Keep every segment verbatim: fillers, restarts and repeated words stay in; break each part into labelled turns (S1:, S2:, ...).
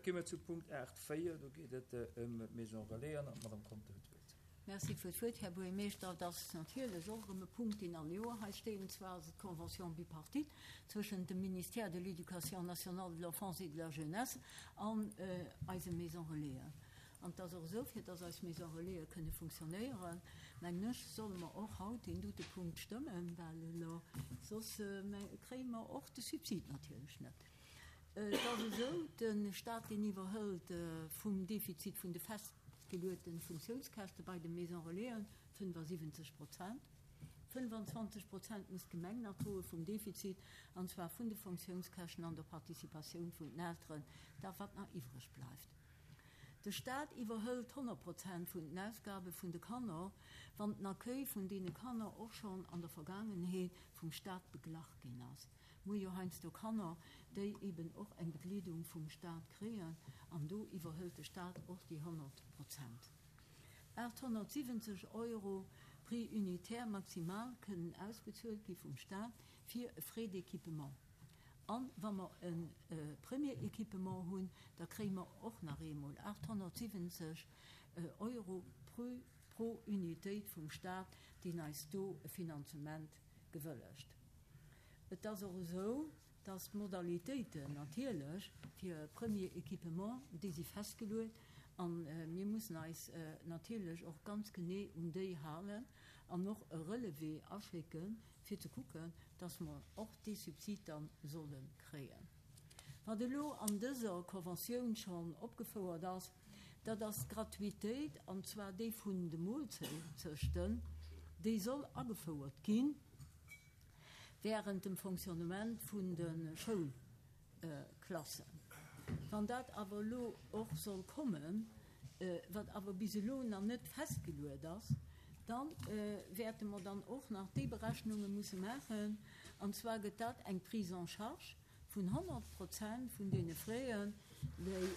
S1: Da gi mer zu Punkt aacht véier, do geet et ëm d'Maison Relais an d'Madame Conter huet d'Wuert.
S2: Merci fir d'Wuert, Här Buergermeeschter. Dat ass natierlech och erëm e Punkt, deen all Joer hei steet, an zwar ass et d'Convention bipartite zwëschent dem Ministère de l'Éducation nationale, de l'Enfance et de la Jeunesse an eise Maisons Relaisen. An et ass och esou, fir dass eis Maisons Relaisen kënne funktionéieren, mengen ech, solle mer och haut deen dote Punkt stëmmen, well elo soss kréie mer och de Subsid natierlech net. Et ass esou, de Stat, deen iwwerhëlt vum Defizit vun de festgeluete Funktiounskäschte bei de Maisons Relaisen fënnefasiwwenzeg Prozent. fënnefenzwanzeg Prozent muss d'Gemeng nach droe vum Defizit, an zwar vun de Funktiounskäschten an der Participatioun vun den Elteren, dat wat nach iwwreg bleift. De Stat iwwerhëlt honnert Prozent vun den Ausgabe vun de Kanner, wann den Accueil vun deene Kanner och schonn an der Vergaangenheet vum Stat beglach ginn ass. Mir hu jo heiansdo Kanner, déi eben och eng Begleedung vum Stat kréien, an do iwwerhëlt de Stat och déi honnert Prozent. aathonnertsiwwenzeg Euro Prix unitaire maximal kënnen ausbezuelt gi vum Stat fir e Frais d'équipement. A wa mer e Premier équipement hunn, da kréie mer och nach eemol aathonnertsiwwenzeg Euro pro Unitéit vum Stat, deen eis do e Finanzement gewëllegt. Et ass och esou, dass d'Modalitéiten natierlech fir e Premier équipement, déi si festgeluet, a mir mussen eis natierlech och ganz genee un déi halen an och e Relevé aschécken, fir ze kucken, dass mer och dee Subsid da solle kréien. Wat elo an dëser Conventioun schonn opgefouert ass, dat ass d'Gratuitéit, an zwar déi vun de Moolzechten, déi soll agefouert ginn während dem Fonctionnement vun de Schoulklassen. Wann dat awer elo och soll kommen, wat awer bis elo nach net festgeluet ass, da wäerte mer dann och nach déi Berechnunge musse maachen, an zwar gëtt dat eng Prise en charge vun honnert Prozent vun deene Fräen, déi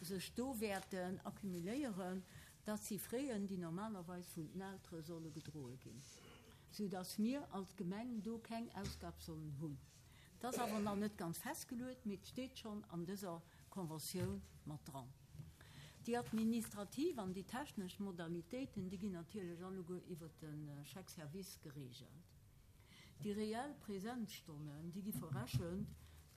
S2: sech do wäerten accumuléieren. Dat si Fräen, déi normalerweis vun den Eltere solle gedroe ginn, soudass mir als Gemeng do keng Ausgab sollen hunn. Dat ass awer nach net ganz festgeluet, mee et steet schonn an dëser Conventioun mat dran. Déi administrativ an déi technesch Modalitéiten, déi ginn natierlech alleguer iwwert de Chèque-service geregelt. Déi reell Präsenzstonnen, déi gi verrechent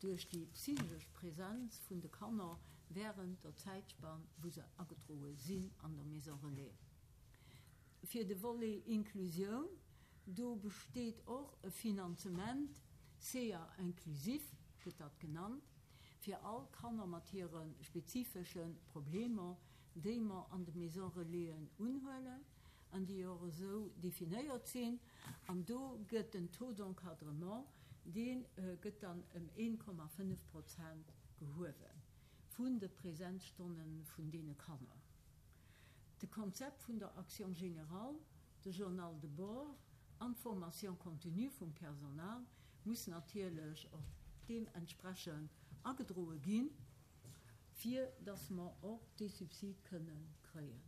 S2: duerch déi psychesch Präsenz vun de Kanner während der Zäitspann, wou se agedroe sinn an der Maison Relais. Fir de Volet Inklusioun, do besteet och e Finanzement, C A inclusif gëtt dat genannt, fir all Kanner mat hire spezifesche Problemer, déi mer an de Maison Relaisen unhuelen an déi och esou definéiert sinn. An do gëtt den Taux d'encadrement, dee gëtt dann ëm een Komma fënnef Prozent gehuewe vun de Präsenzstonne vun deene Kanner. De Konzept vun der Action générale, de Journal de bord an d'Formation continue vum Personal muss natierlech och deementsprechend agedroe ginn, fir dass mer och dee Subsid kënne kréien.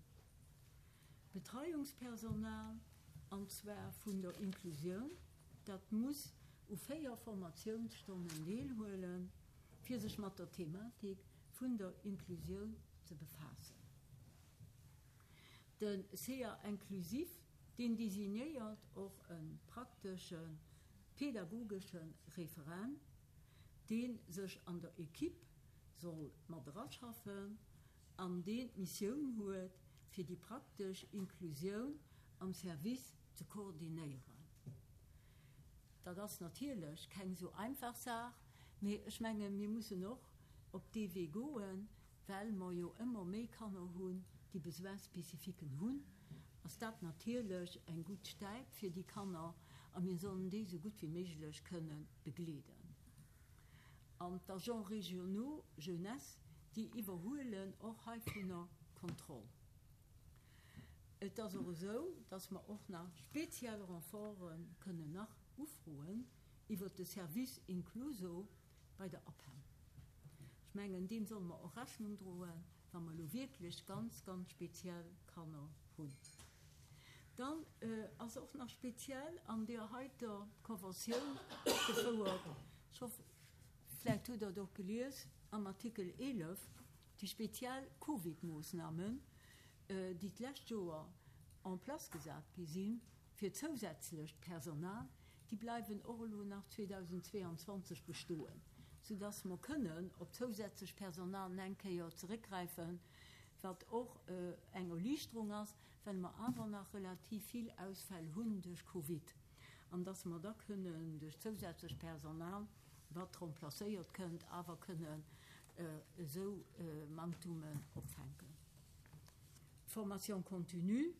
S2: Betreiungspersonal, an zwar vun der Inklusioun, dat muss u véier Formatiounsstonnen deelhuelen, fir sech mat der Thematik vun der Inklusioun ze befaassen. De C A inclusif, deen designéiert och e praktesche pädagogesche Referent, deen sech an der Equipe soll mat eraschaffen an deen d'Missioun huet, fir déi praktesch Inklusioun am Service ze koordinéieren. Dat ass natierlech keng sou einfach Saach, mee ech menge mir mussen och op dee Wee goen, well mer jo ëmmer méi Kanner hunn, déi Besoin-spécifiquen hunn, ass dat natierlech eng gutt Stäip fir déi Kanner a mir sollen déi sou gutt wéi méiglech kënne begleeden. An d'Agents régionaux jeunesse, déi iwwerhuelen och heivunner Kontroll. Et ass och esou, dass mer och nach speziell Renforte kënnen nach ufroen iwwer de Service Incluso bei der A P E M. Ech mengen, deem solle mer och Rechnung droen, wa mer elo wierklech ganz, ganz speziell Kanner hunn. Dann ass och nach speziell an der heiter Konventioun opgefouert, ech hoffe, vläicht hutt Der et och gelies, am Artikel eelef, déi speziell Covid-Moossnamen, déi d'lescht Joer en place gesat gi sinn, fir zousätzlecht Personal, déi bleiwen och elo nach zweedausendzweeanzwanzeg bestoen, soudass mer kënnen op zousätzlech Personal eng Kéier zeréckgräifen, wat och eng Erliichterung ass, well mer awer nach relativ vill Ausfäll hunn duerch Covid, an dass mer da kënnen duerch zousätzlech Personal, wat remplacéiert kënnt, awer kënnen esou Manktumen opfänken. D'Formation continue,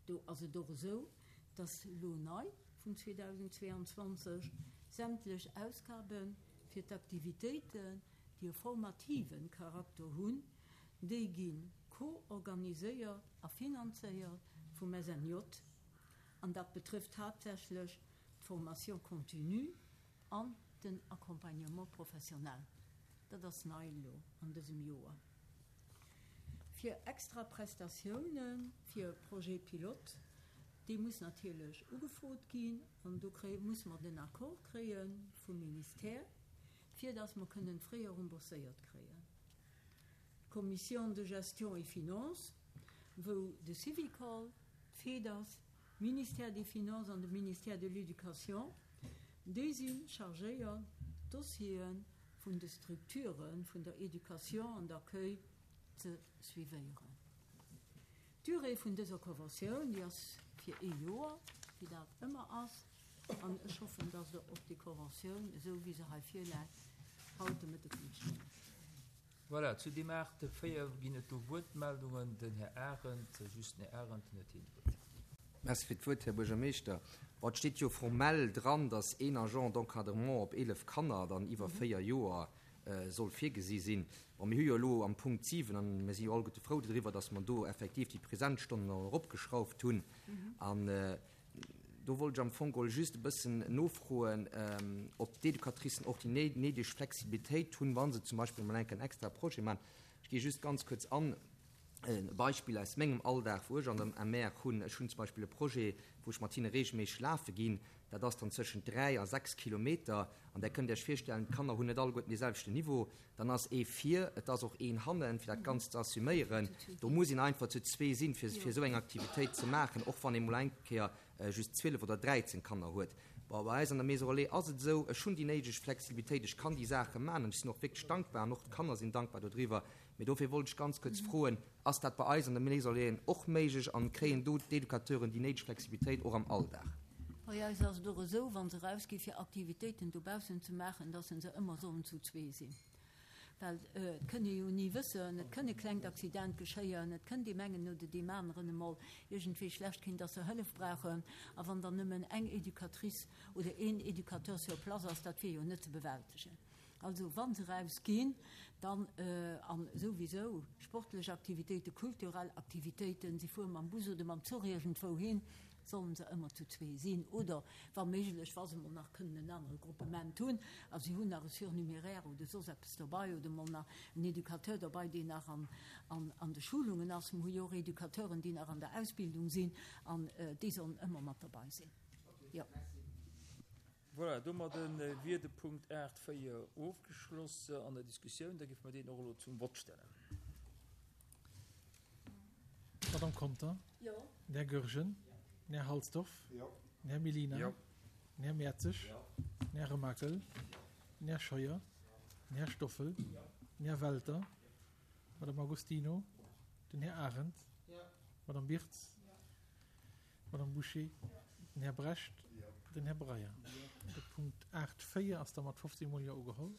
S2: do ass et och esou, dass elo nei vun zweedausendzweeanzwanzeg sämtlech Ausgabe fir d'Aktivitéiten, déi e formativen Charakter hunn, déi gi co-organiséiert a finanzéiert vum S N J, an dat betrëfft haaptsächlech d'Formation continue an den Accompagnement professionnel. Dat ass nei elo an dësem Joer. Fir extra Prestatiounen fir Projet pilote, déi muss natierlech ugefrot ginn an do kréie muss mer den Accord kréie vum Ministère, fir datt mer kënnen fréier rembourséiert kréien. D'Commission de gestion et finance, wou de Syvicol, d'FEDAS, Ministère des Finances an de Ministère de l'Éducation, déi si chargéiert, d'Dossiere vun de Strukture vun der Éducation an d'accueil ze suivéieren. D'Durée vun dëser Conventioun, déi ass fir ee Joer, wéi dat ëmmer ass, an ech hoffen, dass Der op déi Conventioun, esou wéi se hei virläit, haut de Mëtteg kënnt stëmmen.
S1: Voilà, zu deem aacht véier ginn et do Wuertmeldungen. Den Här Arendt, just den Här Arendt, den huet hien d'Wuert.
S3: Merci fir d'Wuert, Här Buergermeeschter. Bon, et steet jo formell dran, dass een Agent d'encadrement op eelef Kanner dann iwwer véier Joer soll virgesi sinn. Bon, mir hu jo elo am Punkt siwen, an mir si jo alleguerte frou doriwwer, dass mer do effektiv déi Präsenzstonnen eropgeschrauft hunn. An do wollt ech am Fong geholl just e bëssen nofroen, ob d'Educatricen och déi néideg Flexibilitéit hunn, wa se zum Beispill emol enk en extra Projet maachen. Ech gi just ganz kuerz an e Beispill aus mengem Alldag, wou ech an der M R hunn. Ech hunn zum Beispill e Projet, wou ech mat hinne reegelméisseg lafe ginn. Dat ass dann zwëschen dräi a sechs Kilometer. An där kënnt Iech virstellen, d'Kanner hunn net alleguerten dee selwechten Niveau. Dann ass ee vir, et ass och een hannen, fir dat Ganzt ze assuméieren. Do muss een einfach zu zwee sinn, fir fir esou eng Aktivitéit ze maachen, och wann ee mol eng Kéier just zwielef oder dräizéng Kanner huet. Bon, bei eis an der Maison Relais ass et esou, ech hunn déi néideg Flexibilitéit, ech kann déi Saache maachen an ech sinn och wierklech dankbar an och d'Kanner sinn dankbar dodriwwer. Mee dofir wollt ech ganz kuerz froen, ass dat bei eis an der Maison Relais och méiglech an kréien do d'Educateuren déi néideg Flexibilitéit och am Alldag?
S2: Bei eis ass et och esou, wa se erausgi fir Aktivitéiten dobaussen ze maachen, dass se ëmmer sollen zu zwee sinn. Well et kënn ee jo ni wëssen, et kënn e klengt Accident geschéien, et kënn deem engen oder deem aneren emol iergendwéi schlecht ginn, dass se Hëllef brauchen. A wann dann nëmmen eng Educatrice oder een Educateur sur place ass, dat wier jo net ze bewältegen. Also wa se erausginn, dann an souwisou sportlech Aktivitéiten, kulturell Aktivitéiten, si fuere mam Bus oder mam Zuch iergendwou hin, sollen se ëmmer zu zwee sinn oder wa méiglech, wa se mol nach kënnen en anere Gruppement hunn a si hunn nach e Surnuméraire oder soss eppes dobei oder mol nach en Educateur dobei, deen nach an, an, an de Schulungen ass. Mir hu jo och Educateuren, déi nach an der Ausbildung sinn an déi sollen ëmmer mat dobei sinn. Jo.
S1: Voilà, domadde wier de Punkt aacht véier ofgeschloss an der Diskussioun. Da géife mer deen och elo zum Vott stellen.
S4: Madame Conter?
S2: Jo.
S4: Den Här Goergen? Den Här Halsdorf?
S5: Jo.
S4: Den Här Mellina?
S1: Jo.
S4: Den Här Mertzig? Den Här Remakel? Den Här Scheuer? Den Här Stoffel? Den Här Welter? Madame Agostino? Den Här Arendt? Madame Birtz? Madame Boucher? Den Här Brecht? Den Här Breyer? De Punkt aacht véier ass da mat fofzéng Mol Jo ugeholl.